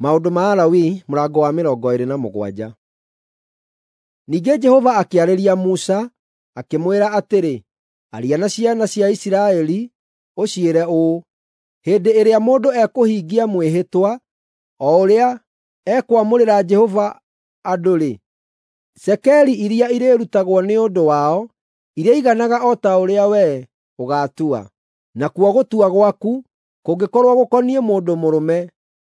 Maũndũ ma Alawii mũrango wa 27. Ningĩ Jehova akĩarĩria Musa, akĩmwĩra atĩrĩ, “Aria na ciana cia Isiraeli, ũciĩre ũũ: Hĩndĩ ĩrĩa mũndũ ekũhingia mwĩhĩtwa, o ũrĩa ekwamũrĩra Jehova andũ-rĩ, cekeri iria irĩrutagwo nĩ ũndũ wao irĩiganaga o ta ũrĩa wee ũgaatua. Nakuo gũtua gwaku kũngĩkorwo gũkoniĩ mũndũ mũrũme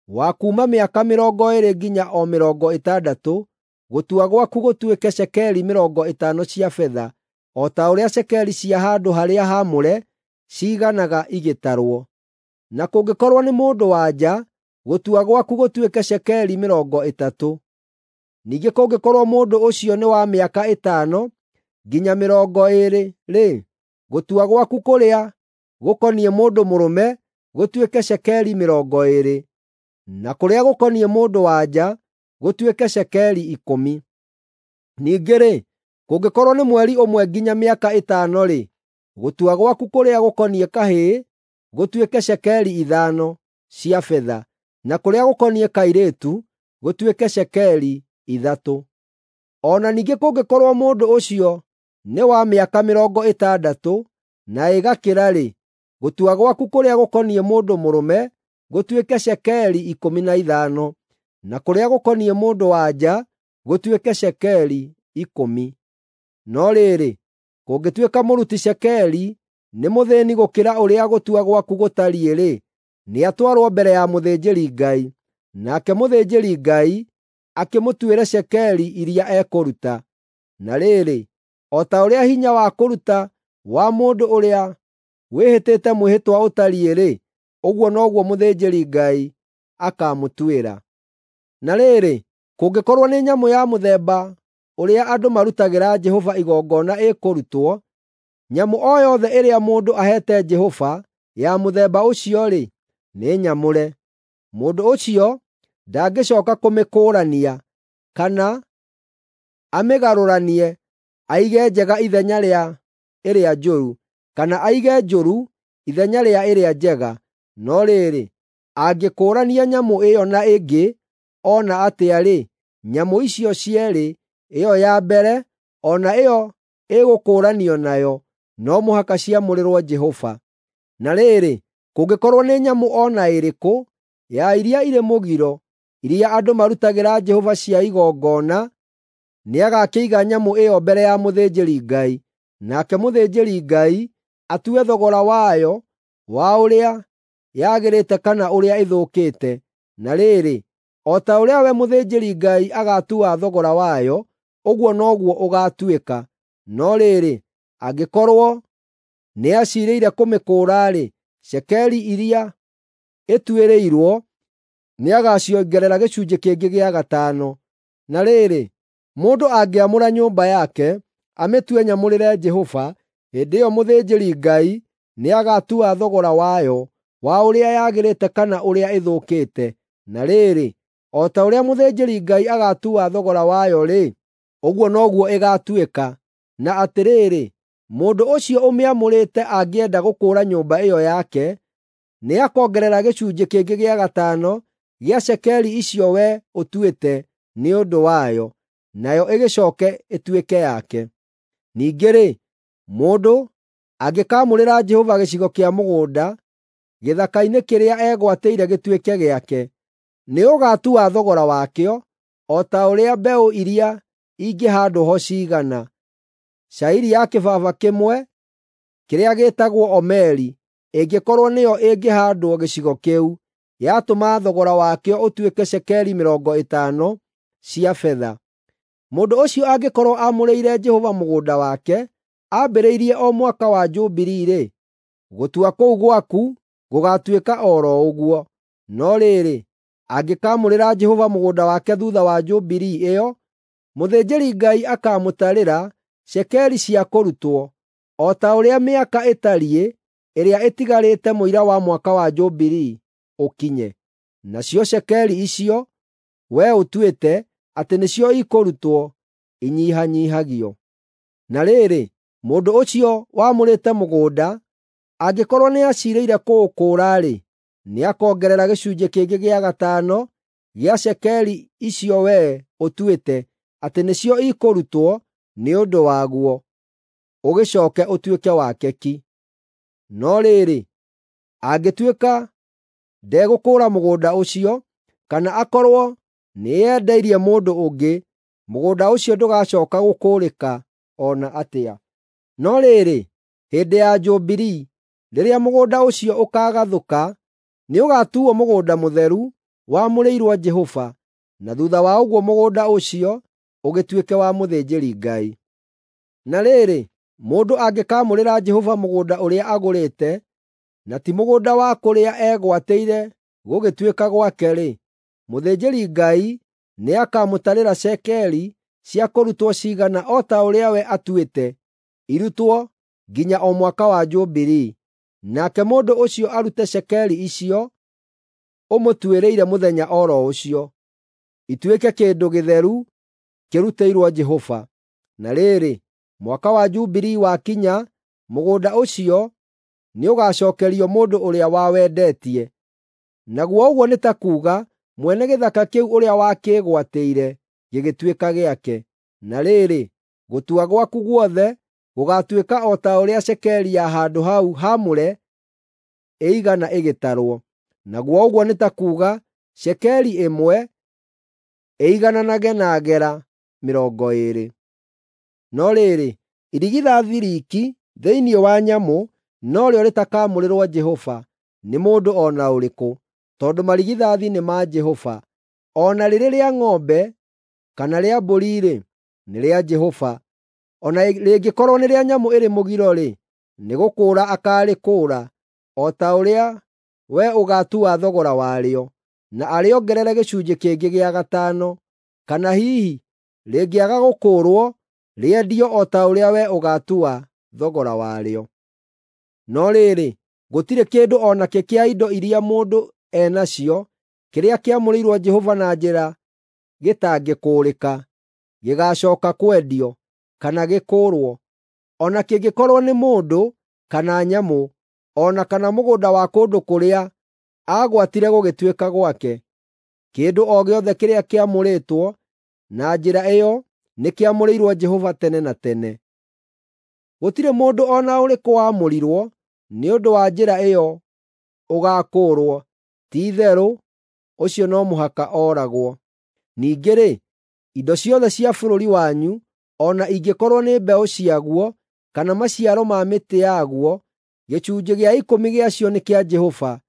wa kuuma mĩaka 20 nginya o 60, gũtua gwaku gũtuĩke cekeri 50 cia betha, o ta ũrĩa cekeri cia handũ-harĩa-haamũre ciiganaga igĩtarwo. Na kũngĩkorwo nĩ mũndũ-wa-nja, gũtua gwaku gũtuĩke cekeri 30. Ningĩ kũngĩkorwo mũndũ ũcio nĩ wa mĩaka 5 nginya 20-rĩ, gũtua gwaku kũrĩa gũkoniĩ mũndũ mũrũme gũtuĩke cekeri 20, na kũrĩa gũkoniĩ mũndũ-wa-nja gũtuĩke cekeri 10. Ningĩ-rĩ, kũngĩkorwo nĩ mweri ũmwe nginya mĩaka 5-rĩ, gũtua gwaku kũrĩa gũkoniĩ kahĩĩ gũtuĩke cekeri 5 cia betha, na kũrĩa gũkoniĩ kairĩtu gũtuĩke cekeri 3. O na ningĩ kũngĩkorwo mũndũ ũcio nĩ wa mĩaka 60 na ĩgakĩra-rĩ, gũtua gwaku kũrĩa gũkoniĩ mũndũ mũrũme gũtuĩke cekeri 15, na kũrĩa gũkoniĩ mũndũ-wa-nja gũtuĩke cekeri 10. No rĩrĩ, kũngĩtuĩka mũruti cekeri nĩ mũthĩĩni gũkĩra ũrĩa gũtua gwaku gũtariĩ-rĩ, nĩatwarwo mbere ya mũthĩnjĩri-Ngai, nake mũthĩnjĩri-Ngai akĩmũtuĩre cekeri iria ekũruta. Na rĩrĩ, o ta ũrĩa hinya wa kũruta wa mũndũ ũrĩa wĩhĩtĩte mwĩhĩtwa ũtariĩ-rĩ, ũguo noguo mũthĩnjĩri-Ngai akaamũtuĩra. Na rĩrĩ, kũngĩkorwo nĩ nyamũ ya mũthemba ũrĩa andũ marutagĩra Jehova igongona ĩkũrutwo, nyamũ o yothe ĩrĩa mũndũ aheete Jehova ya mũthemba ũcio-rĩ, nĩ nyamũre. Mũndũ ũcio ndangĩcooka kũmĩkũũrania kana amĩgarũranie aige njega ithenya rĩa ĩrĩa njũru, kana aige njũru ithenya rĩa ĩrĩa njega. No rĩrĩ, angĩkũũrania nyamũ ĩyo na ĩngĩ o na atĩa-rĩ, nyamũ icio cierĩ, ĩyo ya mbere o na ĩyo ĩgũkũũranio nayo, no mũhaka ciamũrĩrwo Jehova. Na rĩrĩ, kũngĩkorwo nĩ nyamũ o na ĩrĩkũ ya iria irĩ mũgiro, iria andũ marutagĩra Jehova cia igongona, nĩagakĩiga nyamũ ĩyo mbere ya mũthĩnjĩri-Ngai, nake mũthĩnjĩri-Ngai atue thogora wayo wa ũrĩa yagĩrĩte kana ũrĩa ĩthũkĩte. Na rĩrĩ, o ta ũrĩa we mũthĩnjĩri-Ngai agaatua thogora wayo, ũguo noguo ũgaatuĩka. No rĩrĩ, angĩkorwo nĩaciirĩire kũmĩkũũra-rĩ, cekeri iria ĩtuĩrĩirwo nĩagaciongerera gĩcunjĩ kĩngĩ gĩa gatano. Na rĩrĩ, mũndũ angĩamũra nyũmba yake, amĩtue nyamũrĩre Jehova, hĩndĩ ĩyo mũthĩnjĩri-Ngai nĩagatua thogora wayo wa ũrĩa yagĩrĩte kana ũrĩa ĩthũkĩte. Na rĩrĩ, o ta ũrĩa mũthĩnjĩri-Ngai agaatua thogora wayo-rĩ, ũguo noguo ĩgaatuĩka. Na atĩrĩrĩ, mũndũ ũcio ũmĩamũrĩte angĩenda gũkũũra nyũmba ĩyo yake, nĩakongerera gĩcunjĩ kĩngĩ gĩa gatano gĩa cekeri icio we ũtuĩte nĩ ũndũ wayo, nayo ĩgĩcooke ĩtuĩke yake. Ningĩ-rĩ, mũndũ angĩkaamũrĩra Jehova gĩcigo kĩa mũgũnda gĩthaka-inĩ kĩrĩa egwatĩire gĩtuĩke gĩake, nĩũgatua thogora wakĩo o ta ũrĩa mbeũ iria ingĩhaandwo ho ciigana. Cairi ya kĩbaba kĩmwe kĩrĩa gĩĩtagwo omeri ĩngĩkorwo nĩyo ĩngĩhaandwo gĩcigo kĩu, yatũma thogora wakĩo ũtuĩke cekeri 50 cia betha. Mũndũ ũcio angĩkorwo aamũrĩire Jehova mũgũnda wake ambĩrĩirie o Mwaka wa Jubilii-rĩ, gũtua kũu gwaku gũgaatuĩka o ro ũguo. No rĩrĩ, angĩkaamũrĩra Jehova mũgũnda wake thuutha wa Jubilii ĩyo, mũthĩnjĩri-Ngai akaamũtarĩra cekeri cia kũrutwo, o ta ũrĩa mĩaka ĩtariĩ ĩrĩa ĩtigarĩte mũira wa Mwaka wa Jubilii ũkinye. Nacio cekeri icio wee ũtuĩte atĩ nĩcio ikũrutwo inyihanyiihagio. Na rĩrĩ, mũndũ ũcio wamũrĩte mũgũnda angĩkorwo nĩaciirĩire kũũkũũra-rĩ, nĩakongerera gĩcunjĩ kĩngĩ gĩa gatano. gĩa cekeri icio wee ũtuĩte atĩ nĩcio ikũrutwo nĩ ũndũ waguo, ũgĩcooke ũtuĩke wake ki. No rĩrĩ, angĩtuĩka ndegũkũũra mũgũnda ũcio, kana akorwo nĩeyendeirie mũndũ ũngĩ, mũgũnda ũcio ndũgacooka gũkũũrĩka o na atĩa. No rĩrĩ, hĩndĩ ya Jubilii, rĩrĩa mũgũnda ũcio ũkaagathũka, nĩũgatuuo mũgũnda mũtheru wamũrĩirwo Jehova, na thuutha wa ũguo mũgũnda ũcio ũgĩtuĩke wa mũthĩnjĩri-Ngai. Na rĩrĩ, mũndũ angĩkaamũrĩra Jehova mũgũnda ũrĩa agũrĩte, na ti mũgũnda wa kũrĩa egwatĩire gũgĩtuĩka gwake-rĩ, mũthĩnjĩri-Ngai nĩakamũtarĩra cekeri cia kũrutwo ciigana o ta ũrĩa we atuĩte irutwo nginya o mwaka wa Jubilii, nake mũndũ ũcio arute cekeri icio ũmũtuĩrĩire mũthenya o ro ũcio, ituĩke kĩndũ gĩtheru kĩrutĩirwo Jehova. Na rĩrĩ, mwaka wa Jubilii wakinya, mũgũnda ũcio nĩũgacookerio mũndũ ũrĩa wawendetie. Naguo ũguo nĩ ta kuuga mwene gĩthaka kĩu ũrĩa wakĩĩgwatĩire gĩgĩtuĩka gĩake. Na rĩrĩ, gũtua gwaku guothe gũgaatuĩka o ta ũrĩa cekeri ya handũ hau haamũre ĩigana ĩgĩtarwo. Naguo ũguo nĩ ta kuuga cekeri ĩmwe ĩigananage na gera 20. No rĩrĩ, irigithathi riiki thĩinĩ wa nyamũ norĩo rĩtakaamũrĩrwo Jehova nĩ mũndũ o na ũrĩkũ, tondũ marigithathi nĩ ma Jehova. O na rĩrĩ rĩa ng'ombe kana rĩa mbũri-rĩ, nĩ rĩa Jehova. O na rĩngĩkorwo nĩ rĩa nyamũ ĩrĩ mũgiro-rĩ, nĩgũkũũra akaarĩkũũra, o ta ũrĩa we ũgaatua thogora warĩo, na arĩongerere gĩcunjĩ kĩngĩ gĩa gatano. Kana hihi rĩngĩaga gũkũũrwo, rĩendio o ta ũrĩa we ũgaatua thogora warĩo. No rĩrĩ, gũtirĩ kĩndũ o nakĩ kĩa indo iria mũndũ e nacio kĩrĩa kĩamũrĩirwo Jehova na njĩra gĩtangĩkũũrĩka, gĩgaacooka kwendio, kana gĩkũũrwo, o na kĩngĩkorwo nĩ mũndũ kana nyamũ, o na kana mũgũnda wa kũndũ kũrĩa aagwatire gũgĩtuĩka gwake. Kĩndũ o gĩothe kĩrĩa kĩamũrĩtwo na njĩra ĩyo nĩkĩamũrĩirwo Jehova tene na tene. Gũtirĩ mũndũ o na ũrĩkũ waamũrirwo nĩ ũndũ wa njĩra ĩyo ũgaakũũrwo, ti-itherũ ũcio no mũhaka ooragwo. Ningĩ-rĩ, indo ciothe cia bũrũri wanyu, o na ingĩkorwo nĩ mbeũ ciaguo kana maciaro ma mĩtĩ yaguo, gĩcunjĩ gĩa ikũmi gĩacio nĩ kĩa Jehova,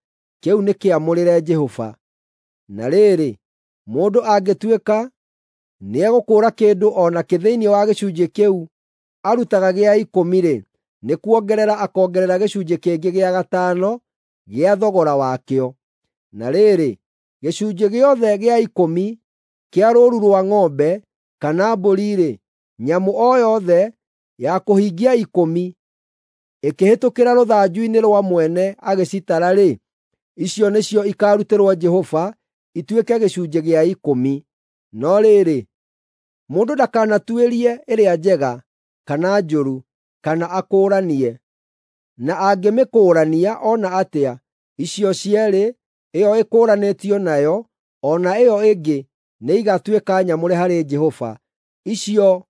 kĩu nĩ kĩamũrĩre Jehova. Na rĩrĩ, mũndũ angĩtuĩka nĩegũkũũra kĩndũ o nakĩ thĩinĩ wa gĩcunjĩ kĩu arutaga gĩa ikũmi-rĩ, nĩkuongerera akoongerera gĩcunjĩ kĩngĩ gĩa gatano gĩa thogora wakĩo. Na rĩrĩ, gĩcunjĩ gĩothe gĩa ikũmi kĩa rũũru rwa ng'ombe kana mbũri-rĩ, nyamũ o yothe ya kũhingia ikũmi ĩkĩhĩtũkĩra rũthanju-inĩ rwa mwene agĩcitara-rĩ, icio nĩcio ikaarutĩrwo Jehova ituĩke gĩcunjĩ gĩa ikũmi. No rĩrĩ, mũndũ ndakanatuĩrie ĩrĩa njega kana njũru, kana akũũranie. Na angĩmĩkũũrania o na atĩa, icio cierĩ, ĩyo ĩkũũranĩtio nayo o na ĩyo ĩngĩ nĩigatuĩka nyamũre harĩ Jehova. Icio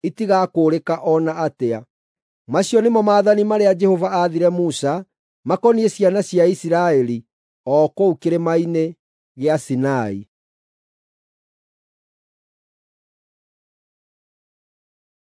itigakũũrĩka o na atĩa. Macio nĩmo maathani marĩa Jehova aathire Musa makoniĩ ciana cia Isiraeli o kũu kĩrĩma-inĩ gĩa Sinai.